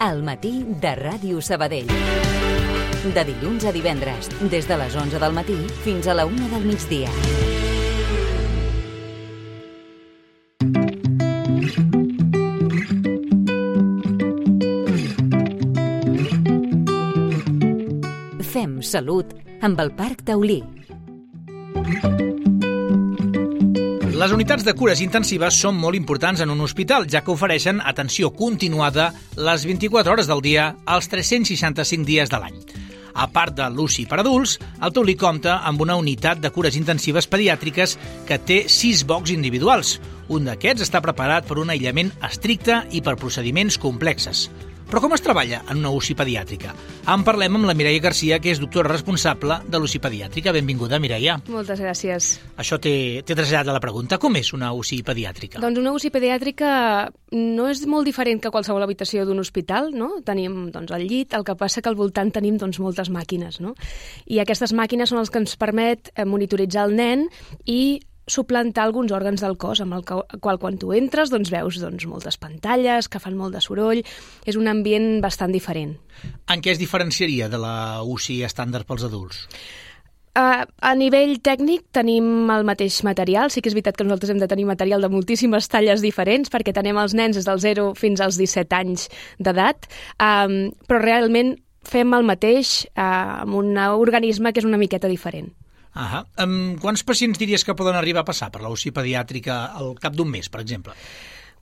Al matí de Ràdio Sabadell. De dilluns a divendres, des de les 11 del matí fins a la 1 del migdia. Fem salut amb el Parc Taulí. Les unitats de cures intensives són molt importants en un hospital, ja que ofereixen atenció continuada les 24 hores del dia, els 365 dies de l'any. A part de l'UCI per adults, el Taulí compta amb una unitat de cures intensives pediàtriques que té 6 bocs individuals. Un d'aquests està preparat per un aïllament estricte i per procediments complexes. Però com es treballa en una UCI pediàtrica? En parlem amb la Mireia Garcia, que és doctora responsable de l'UCI pediàtrica. Benvinguda, Mireia. Moltes gràcies. Això t'he traslladat a la pregunta. Com és una UCI pediàtrica? Doncs una UCI pediàtrica no és molt diferent que qualsevol habitació d'un hospital, no? Tenim el llit, el que passa que al voltant tenim moltes màquines, no? I aquestes màquines són les que ens permet monitoritzar el nen i suplantar alguns òrgans del cos, amb el qual quan tu entres veus moltes pantalles que fan molt de soroll. És un ambient bastant diferent. En què es diferenciaria de la UCI estàndard pels adults? A nivell tècnic tenim el mateix material. Sí que és veritat que nosaltres hem de tenir material de moltíssimes talles diferents perquè tenim els nens des dels 0 fins als 17 anys d'edat, però realment fem el mateix amb un organisme que és una miqueta diferent. Quants pacients diries que poden arribar a passar per la UCI pediàtrica al cap d'un mes, per exemple?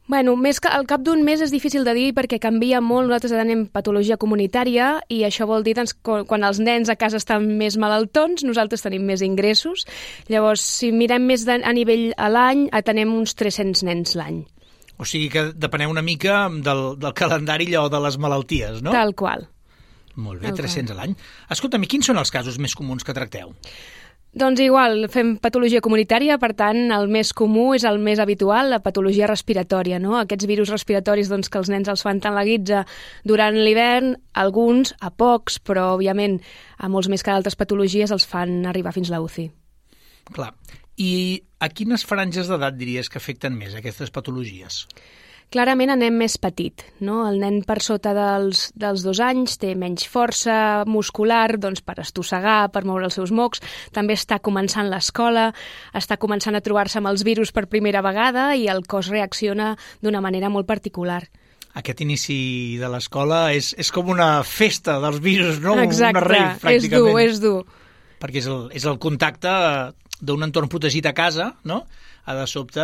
Bueno, més que al cap d'un mes és difícil de dir perquè canvia molt. Nosaltres tenim patologia comunitària i això vol dir que quan els nens a casa estan més malaltons, nosaltres tenim més ingressos. Llavors, si mirem més a nivell a l'any, atenem uns 300 nens l'any. O sigui que depeneu una mica del calendari allò de les malalties, no? Tal qual. Molt bé, 300 a l'any. Escolta'm, i quins són els casos més comuns que tracteu? Doncs igual, fem patologia comunitària, per tant, el més comú és el més habitual, la patologia respiratòria, no? Aquests virus respiratoris que els nens els fan tant la guitza durant l'hivern, alguns, a pocs, però, òbviament, a molts més que d'altres patologies els fan arribar fins a la UCI. Clar. I a quines franges d'edat diries que afecten més aquestes patologies? Clarament anem més petit, no? El nen per sota dels 2 anys té menys força muscular per estossegar, per moure els seus mocs, també està començant l'escola, està començant a trobar-se amb els virus per primera vegada i el cos reacciona d'una manera molt particular. Aquest inici de l'escola és com una festa dels virus, no? Exacte, una rave, pràcticament. És dur. Perquè és el contacte d'un entorn protegit a casa, no? De sobte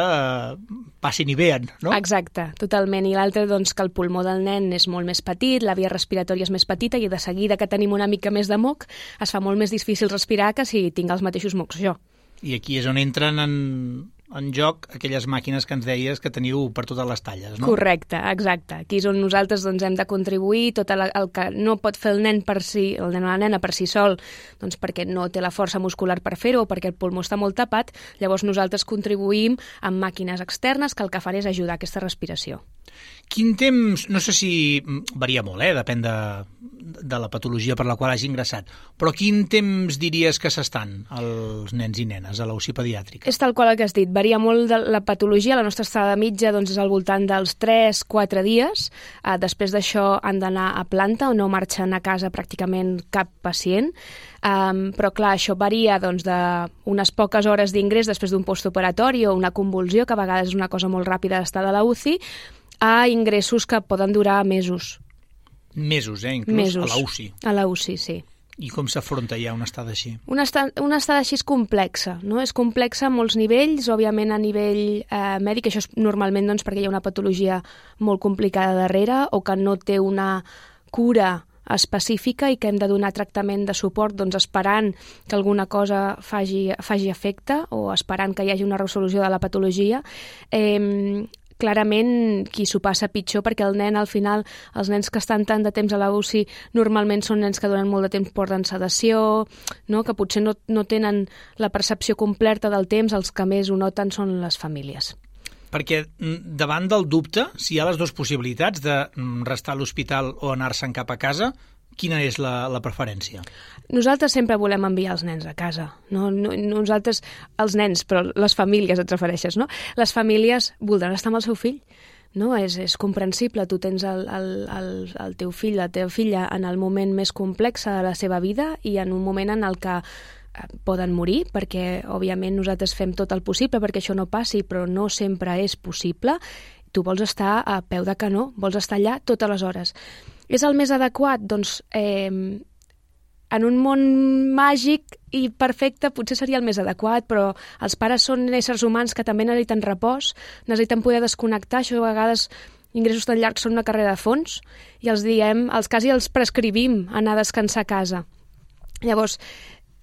passin i vean, no? Exacte, totalment. I l'altre, que el pulmó del nen és molt més petit, la via respiratòria és més petita i de seguida que tenim una mica més de moc es fa molt més difícil respirar que si tinc els mateixos mocs jo. I aquí és on entren en joc aquelles màquines que ens deies que teniu per totes les talles, no? Correcte, exacte. Aquí és on nosaltres hem de contribuir tot el que no pot fer el nen o la nena per si sol, perquè no té la força muscular per fer-ho o perquè el pulmó està molt tapat, llavors nosaltres contribuïm amb màquines externes que el que fan és ajudar a aquesta respiració. Quin temps, no sé si varia molt, depèn de la patologia per la qual hagi ingressat, però quin temps diries que s'estan els nens i nenes a la UCI pediàtrica? És tal qual el que has dit, varia molt de la patologia, la nostra estada mitja és al voltant dels 3-4 dies, després d'això han d'anar a planta o no marxen a casa pràcticament cap pacient, però clar, això varia d'unes poques hores d'ingrés després d'un postoperatori o una convulsió, que a vegades és una cosa molt ràpida d'estar de la UCI, a ingressos que poden durar mesos. Mesos, inclús a la UCI. A la UCI, sí. I com s'afronta ja una estada així? Una estada així és complexa, no? És complexa a molts nivells, òbviament a nivell mèdic, això és normalment perquè hi ha una patologia molt complicada darrere o que no té una cura específica i que hem de donar tractament de suport esperant que alguna cosa faci efecte o esperant que hi hagi una resolució de la patologia. Clarament qui s'ho passa pitjor perquè el nen al final, els nens que estan tant de temps a la UCI normalment són nens que durant molt de temps porten sedació, no? Que potser no tenen la percepció completa del temps, els que més ho noten són les famílies. Perquè davant del dubte, si hi ha les dues possibilitats de restar a l'hospital o anar-se'n cap a casa, quina és la preferència? Nosaltres sempre volem enviar els nens a casa. No? Nosaltres, els nens, però les famílies et refereixes, no? Les famílies voldran estar amb el seu fill. no? És comprensible, tu tens el teu fill, la teva filla en el moment més complex de la seva vida i en un moment en el que poden morir, perquè òbviament nosaltres fem tot el possible perquè això no passi, però no sempre és possible. Tu vols estar a peu de canó, vols estar allà totes les hores. És el més adequat? Doncs en un món màgic i perfecte potser seria el més adequat, però els pares són éssers humans que també necessiten repòs, necessiten poder desconnectar, això a vegades ingressos tan llargs són una carrera de fons i quasi els prescrivim anar a descansar a casa. Llavors,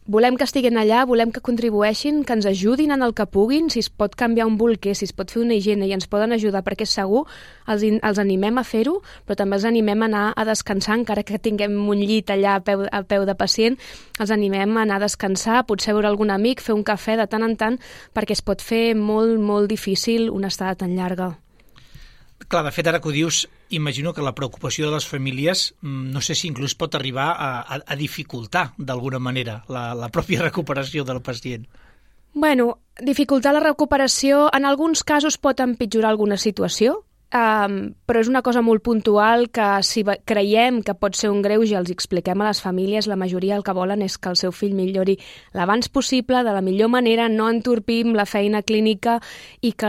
volem que estiguin allà, volem que contribueixin, que ens ajudin en el que puguin, si es pot canviar un bolquer, si es pot fer una higiene i ens poden ajudar, perquè és segur, els animem a fer-ho, però també els animem a anar a descansar, encara que tinguem un llit allà a peu de pacient, els animem a anar a descansar, potser veure algun amic, fer un cafè de tant en tant, perquè es pot fer molt, molt difícil una estada tan llarga. Clar, de fet, ara que ho dius, imagino que la preocupació de les famílies, no sé si inclús pot arribar a dificultar d'alguna manera la pròpia recuperació del pacient. Bueno, dificultar la recuperació en alguns casos pot empitjorar alguna situació, però és una cosa molt puntual que si creiem que pot ser un greuge els expliquem a les famílies, la majoria el que volen és que el seu fill millori l'abans possible, de la millor manera, no entorpim la feina clínica i que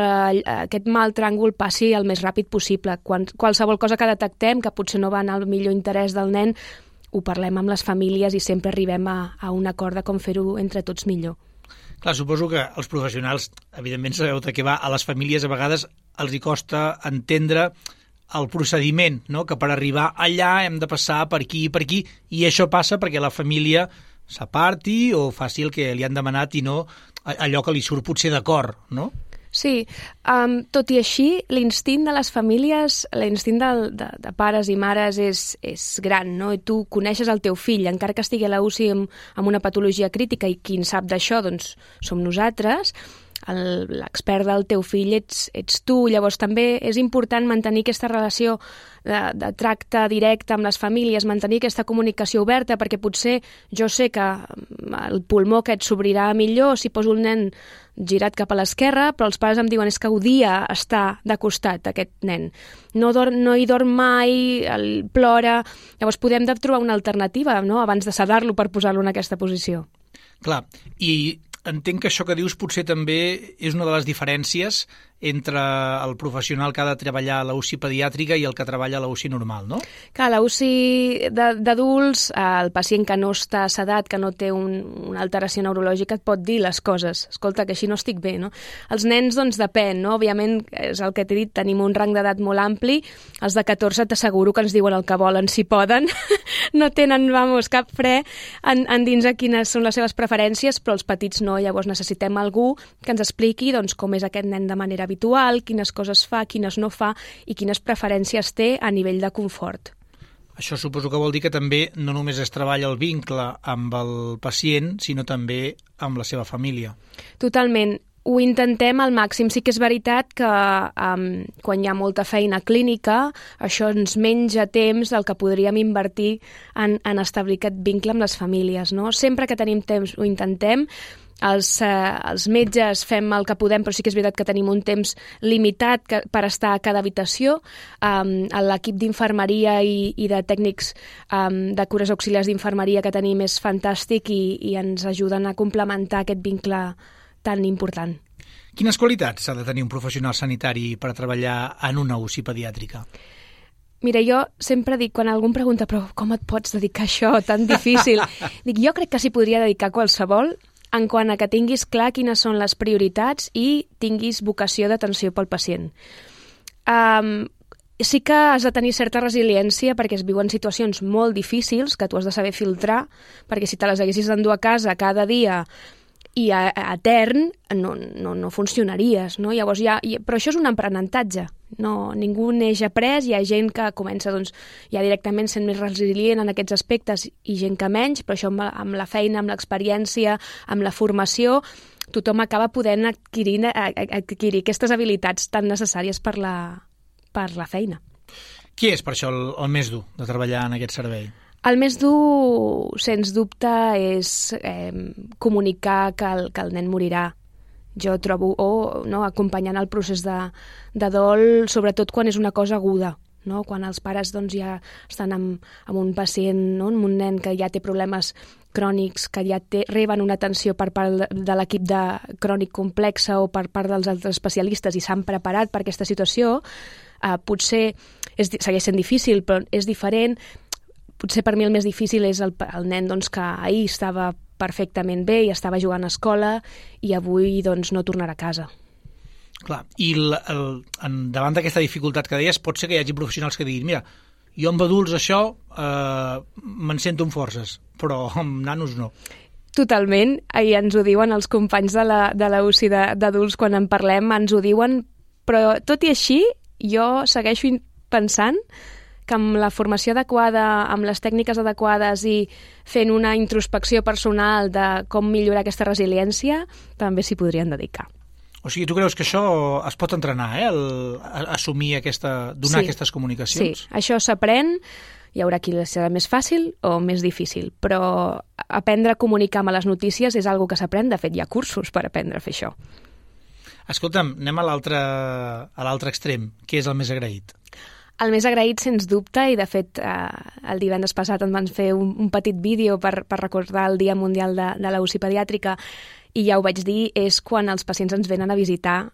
aquest mal tràngol passi el més ràpid possible. Qualsevol cosa que detectem que potser no va en el millor interès del nen, ho parlem amb les famílies i sempre arribem a un acord de com fer-ho entre tots millor. Clar, suposo que els professionals, evidentment sabeu de què va, a les famílies a vegades els hi costa entendre el procediment, no? Que per arribar allà hem de passar per aquí i per aquí, i això passa perquè la família s'aparti o faci el que li han demanat i no allò que li surt potser d'acord, no? Sí, tot i així, l'instint de les famílies, l'instint de pares i mares és gran, no? I tu coneixes el teu fill, encara que estigui a la UCI amb una patologia crítica i qui en sap d'això, doncs som nosaltres, l'expert del teu fill ets tu, llavors també és important mantenir aquesta relació de tracte directe amb les famílies, mantenir aquesta comunicació oberta, perquè potser jo sé que el pulmó aquest s'obrirà millor si poso el nen girat cap a l'esquerra, però els pares em diuen és que odia estar de costat aquest nen. No hi dorm mai, plora. Llavors podem trobar una alternativa, no?, abans de sedar-lo per posar-lo en aquesta posició. Clar, i entenc que això que dius potser també és una de les diferències entre el professional que ha de treballar a la UCI pediàtrica i el que treballa a la UCI normal, no? Que a la UCI d'adults, el pacient que no està sedat, que no té una alteració neurològica, et pot dir les coses. Escolta, que així no estic bé, no? Els nens, doncs, depèn, no? Òbviament, és el que t'he dit, tenim un rang d'edat molt ampli. Els de 14 t'asseguro que ens diuen el que volen, si poden. No tenen, cap fre en dins a quines són les seves preferències, però els petits no. Llavors necessitem algú que ens expliqui doncs, com és aquest nen de manera habitual, quines coses fa, quines no fa i quines preferències té a nivell de confort. Això suposo que vol dir que també no només es treballa el vincle amb el pacient, sinó també amb la seva família. Totalment. Ho intentem al màxim. Sí que és veritat que quan hi ha molta feina clínica, això ens menja temps del que podríem invertir en establir aquest vincle amb les famílies, no? Sempre que tenim temps ho intentem. Els metges fem el que podem, però sí que és veritat que tenim un temps limitat per estar a cada habitació. L'equip d'infermeria i de tècnics de cures auxiliars d'infermeria que tenim és fantàstic i ens ajuden a complementar aquest vincle tan important. Quines qualitats ha de tenir un professional sanitari per treballar en una UCI pediàtrica? Mira, jo sempre dic, quan algú em pregunta però com et pots dedicar a això tan difícil? Dic, jo crec que s'hi podria dedicar qualsevol en quant a que tinguis clar quines són les prioritats i tinguis vocació d'atenció pel pacient. Sí que has de tenir certa resiliència perquè es viuen situacions molt difícils que tu has de saber filtrar, perquè si te les haguessis d'endur a casa cada dia i a etern, no funcionaries, no? Llavors però això és un aprenentatge. No, ningú neix après, hi ha gent que comença ja directament sent més resilient en aquests aspectes i gent que menys, però això amb la feina, amb l'experiència, amb la formació, tothom acaba podent adquirir aquestes habilitats tan necessàries per la feina. Qui és per això el més dur de treballar en aquest servei? El més dur, sens dubte, és comunicar que el nen morirà. Jo trobo, acompanyant el procés de dol, sobretot quan és una cosa aguda, no? Quan els pares doncs, ja estan amb un pacient, no? Amb un nen que ja té problemes crònics, que ja reben una atenció per part de l'equip de crònic complexa o per part dels altres especialistes i s'han preparat per aquesta situació, potser segueix sent difícil, però és diferent. Potser per mi el més difícil és el nen doncs, que ahir estava perfectament bé i estava jugant a escola i avui doncs, no tornarà a casa. Clar, i davant d'aquesta dificultat que deies, pot ser que hi hagi professionals que diguin, mira, jo amb adults això me'n sento amb forces, però amb nanos no. Totalment, i ens ho diuen els companys de la UCI d'adults quan en parlem, ens ho diuen, però tot i així jo segueixo pensant que amb la formació adequada, amb les tècniques adequades i fent una introspecció personal de com millorar aquesta resiliència, també s'hi podrien dedicar. O sigui, tu creus que això es pot entrenar, assumir donar aquestes comunicacions? Sí, això s'aprèn, hi haurà qui serà més fàcil o més difícil, però aprendre a comunicar amb les notícies és una que s'aprèn, de fet hi ha cursos per aprendre a fer això. Escolta'm, anem a l'altre extrem, què és el més agraït? El més agraït, sens dubte, i de fet el divendres passat em van fer un petit vídeo per recordar el Dia Mundial de la UCI pediàtrica, i ja ho vaig dir, és quan els pacients ens venen a visitar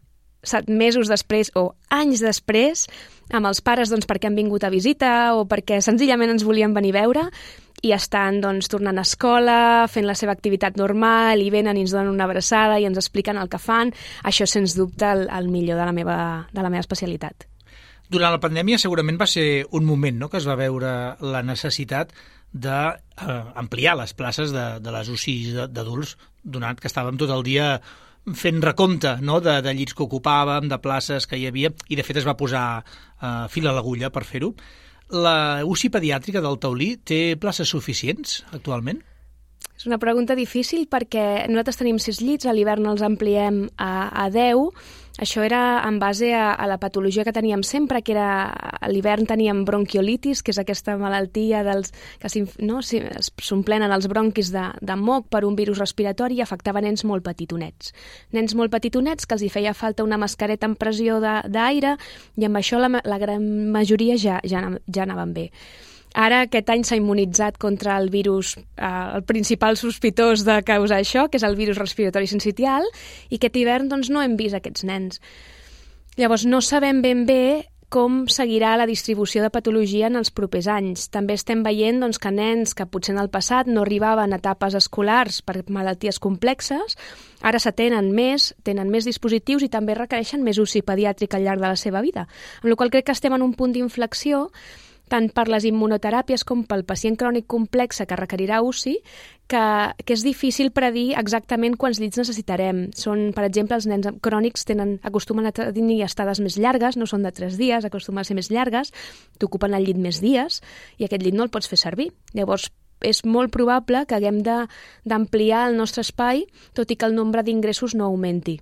mesos després o anys després, amb els pares doncs, perquè han vingut a visita o perquè senzillament ens volien venir a veure i estan doncs, tornant a escola, fent la seva activitat normal i venen i ens donen una abraçada i ens expliquen el que fan. Això, sens dubte, el millor de la meva especialitat. Durant la pandèmia segurament va ser un moment, no?, que es va veure la necessitat d'ampliar les places de les UCIs d'adults, donat que estàvem tot el dia fent recompte, no?, de llits que ocupàvem, de places que hi havia, i de fet es va posar fil a l'agulla per fer-ho. La UCI pediàtrica del Taulí té places suficients actualment? És una pregunta difícil perquè nosaltres tenim 6 llits, a l'hivern els ampliem a 10. Això era en base a la patologia que teníem sempre, que era a l'hivern teníem bronquiolitis, que és aquesta malaltia que s'omplenen els bronquis de moc per un virus respiratori i afectava nens molt petitonets. Nens molt petitonets que els hi feia falta una mascareta amb pressió d'aire i amb això la gran majoria ja anaven bé. Ara aquest any s'ha immunitzat contra el virus, el principal sospitós de causar això, que és el virus respiratori sincitial, i aquest hivern doncs, no hem vist aquests nens. Llavors no sabem ben bé com seguirà la distribució de patologia en els propers anys. També estem veient doncs, que nens que potser en el passat no arribaven a etapes escolars per malalties complexes, ara s'atenen més, tenen més dispositius i també requereixen més UCI pediàtrica al llarg de la seva vida. Amb la qual crec que estem en un punt d'inflexió tant per les immunoteràpies com pel pacient crònic complex que requerirà UCI, que és difícil predir exactament quants llits necessitarem. Per exemple, els nens crònics acostumen a tenir estades més llargues, no són de 3 dies, acostumen a ser més llargues, t'ocupen el llit més dies i aquest llit no el pots fer servir. Llavors, és molt probable que haguem d'ampliar el nostre espai, tot i que el nombre d'ingressos no augmenti.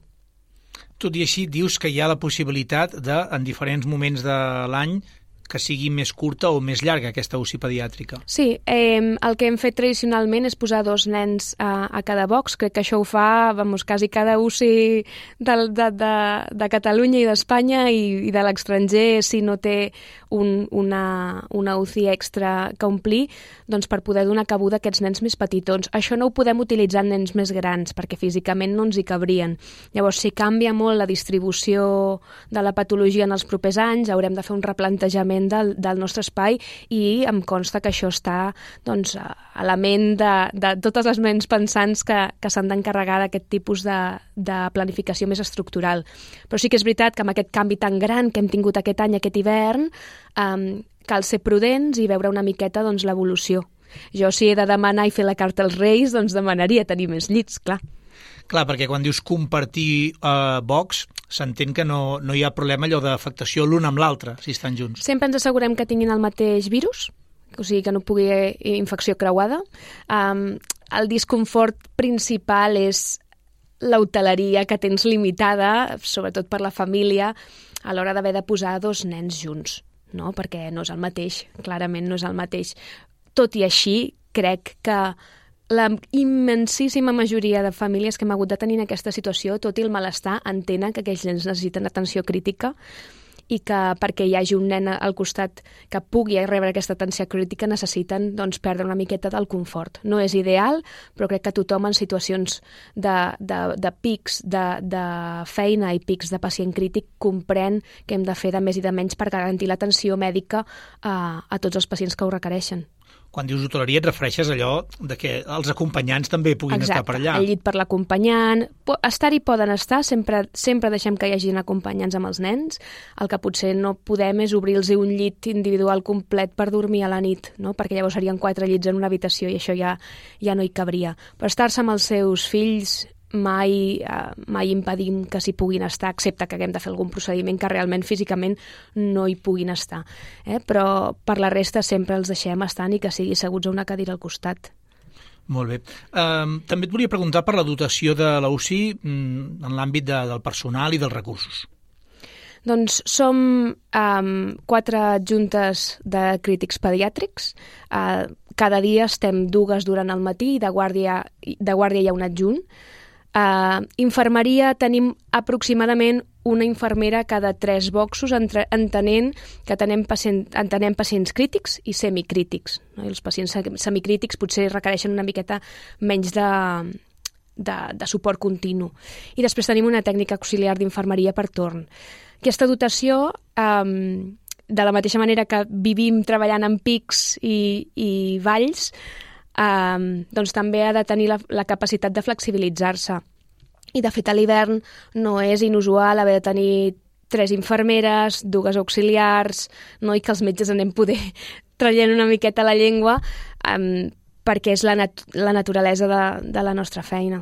Tot i així, dius que hi ha la possibilitat en diferents moments de l'any que sigui més curta o més llarga aquesta UCI pediàtrica. Sí, el que hem fet tradicionalment és posar 2 nens a cada box. Crec que això ho fa quasi cada UCI de Catalunya i d'Espanya i de l'estranger, si no té una UCI extra que omplir, doncs per poder donar cabuda a aquests nens més petitons. Això no ho podem utilitzar en nens més grans, perquè físicament no ens hi cabrien. Llavors, si canvia molt la distribució de la patologia en els propers anys, haurem de fer un replantejament del nostre espai i em consta que això està a la ment de totes les ments pensants que s'han d'encarregar d'aquest tipus de planificació més estructural. Però sí que és veritat que amb aquest canvi tan gran que hem tingut aquest any, aquest hivern, cal ser prudents i veure una miqueta l'evolució. Jo, si he de demanar i fer la carta als Reis, doncs demanaria tenir més llits, clar. Clar, perquè quan dius compartir box, s'entén que no hi ha problema allò d'afectació l'un amb l'altre, si estan junts. Sempre ens assegurem que tinguin el mateix virus, o sigui que no pugui haver infecció creuada. El disconfort principal és l'hoteleria que tens limitada, sobretot per la família, a l'hora d'haver de posar 2 nens junts, no? Perquè no és el mateix, clarament no és el mateix. Tot i així, crec que la immensíssima majoria de famílies que hem hagut de tenir en aquesta situació, tot i el malestar, entenen que aquells nens necessiten atenció crítica i que perquè hi hagi un nen al costat que pugui rebre aquesta atenció crítica necessiten perdre una miqueta del confort. No és ideal, però crec que tothom en situacions de pics de feina i pics de pacient crític comprèn que hem de fer de més i de menys per garantir l'atenció mèdica a tots els pacients que ho requereixen. Quan dius hoteleria et refereixes a allò de que els acompanyants també puguin estar per allà. Exacte, el llit per l'acompanyant. Estar-hi poden estar, sempre deixem que hi hagin acompanyants amb els nens. El que potser no podem és obrir-los un llit individual complet per dormir a la nit, no? Perquè llavors serien 4 llits en una habitació i això ja no hi cabria. Per estar-se amb els seus fills mai impedim que s'hi puguin estar, excepte que haguem de fer algun procediment que realment físicament no hi puguin estar. Però per la resta sempre els deixem estar i que sigui asseguts a una cadira al costat. Molt bé. També et volia preguntar per la dotació de la UCI en l'àmbit del personal i dels recursos. Doncs som 4 adjuntes de crítics pediàtrics. Cada dia estem 2 durant el matí i de guàrdia hi ha un adjunt. Infermeria tenim aproximadament una infermera cada 3 boxos, entenent que entenem pacients crítics i semicrítics. No? I els pacients semicrítics potser requereixen una miqueta menys de suport continu. I després tenim una tècnica auxiliar d'infermeria per torn. Aquesta dotació, de la mateixa manera que vivim treballant en pics i valls, doncs també ha de tenir la capacitat de flexibilitzar-se. I de fet a l'hivern no és inusual haver de tenir 3 infermeres, 2 auxiliars, no? I que els metges anem poder traient una miqueta la llengua perquè és la naturalesa de la nostra feina.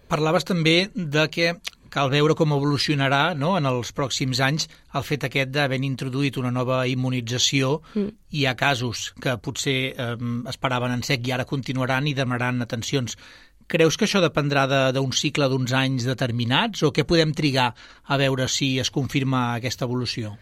Parlaves també de que cal veure com evolucionarà, no?, en els pròxims anys el fet aquest d'haver introduït una nova immunització. Hi ha casos que potser esperaven en sec i ara continuaran i demanaran atencions. Creus que això dependrà d'un cicle d'uns anys determinats o què podem trigar a veure si es confirma aquesta evolució?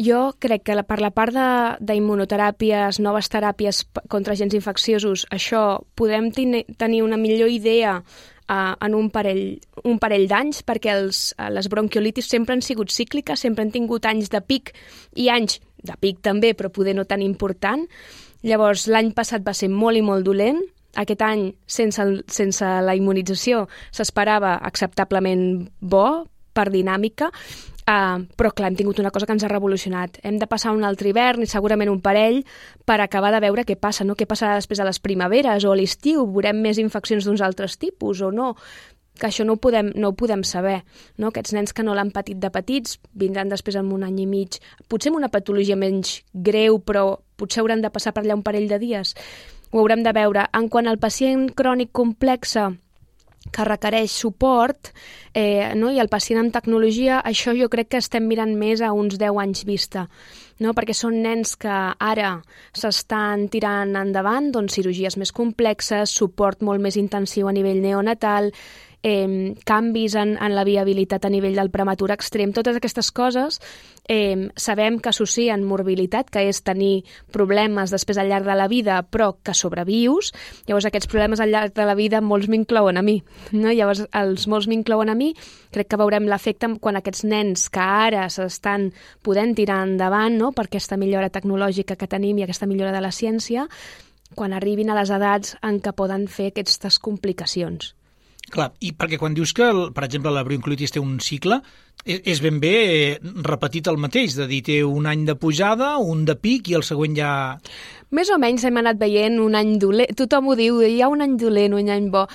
Jo crec que per la part d'immunoteràpies, noves teràpies contra agents infecciosos, això podem tenir una millor idea en un parell d'anys, perquè les bronquiolitis sempre han sigut cícliques, sempre han tingut anys de pic i anys de pic també, però poder no tan important. Llavors, l'any passat va ser molt i molt dolent. Aquest any, sense la immunització, s'esperava acceptablement bo per dinàmica, però clar, hem tingut una cosa que ens ha revolucionat. Hem de passar un altre hivern i segurament un parell per acabar de veure què passa, no? Què passarà després de les primaveres o a l'estiu? Veurem més infeccions d'uns altres tipus o no? Que això no ho podem saber. No? Aquests nens que no l'han patit de petits vindran després en un any i mig, potser amb una patologia menys greu, però potser hauran de passar per allà un parell de dies. Ho haurem de veure. En quant al pacient crònic complexe que requereix suport, no? I el pacient amb tecnologia, això jo crec que estem mirant més a uns 10 anys vista, no? Perquè són nens que ara s'estan tirant endavant, doncs cirurgies més complexes, suport molt més intensiu a nivell neonatal, canvis en la viabilitat a nivell del prematur extrem, totes aquestes coses sabem que associen morbilitat, que és tenir problemes després al llarg de la vida, però que sobrevius. Llavors aquests problemes al llarg de la vida molts m'inclouen a mi, no? Llavors els molts m'inclouen a mi, crec que veurem l'efecte quan aquests nens que ara s'estan podent tirar endavant, no? Per aquesta millora tecnològica que tenim i aquesta millora de la ciència, quan arribin a les edats en què poden fer aquestes complicacions. Clar, i perquè quan dius que, per exemple, la bronquiolitis té un cicle, és ben bé repetit el mateix, de dir, té un any de pujada, un de pic i el següent ja... Més o menys hem anat veient un any dolent, tothom ho diu, hi ha un any dolent, un any bo.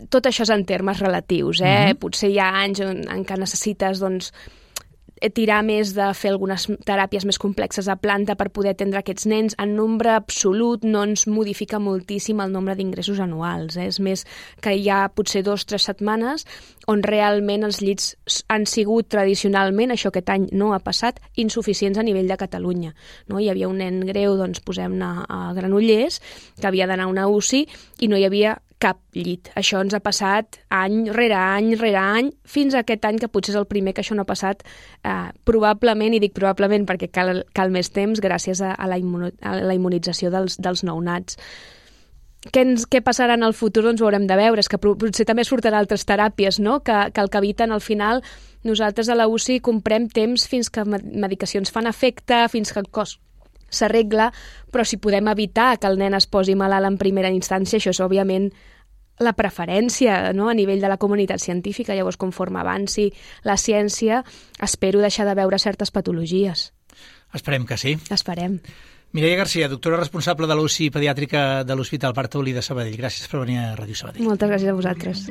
Tot això és en termes relatius, Potser hi ha anys en què necessites, doncs, tirar més de fer algunes teràpies més complexes a planta per poder atendre aquests nens. En nombre absolut no ens modifica moltíssim el nombre d'ingressos anuals. És més que hi ha potser 2 o 3 setmanes on realment els llits han sigut tradicionalment, això aquest any no ha passat, insuficients a nivell de Catalunya. No? Hi havia un nen greu, doncs posem-ne a Granollers, que havia d'anar a una UCI i no hi havia cap llit. Això ens ha passat any rere any, fins a aquest any, que potser és el primer que això no ha passat, probablement, i dic probablement perquè cal més temps, gràcies a la immunització dels nounats. què passarà en el futur, doncs ho haurem de veure. És que potser també surten altres teràpies, no? Que el que eviten al final, nosaltres a la UCI comprem temps fins que medicacions fan efecte, fins que el cos s'arregla, però si podem evitar que el nen es posi malalt en primera instància, això és òbviament la preferència, no?, a nivell de la comunitat científica. Llavors, conforme avanci la ciència, espero deixar de veure certes patologies. Esperem que sí. Esperem. Mireia Garcia, doctora responsable de l'UCI pediàtrica de l'Hospital Pare Taulí de Sabadell. Gràcies per venir a Ràdio Sabadell. Moltes gràcies a vosaltres.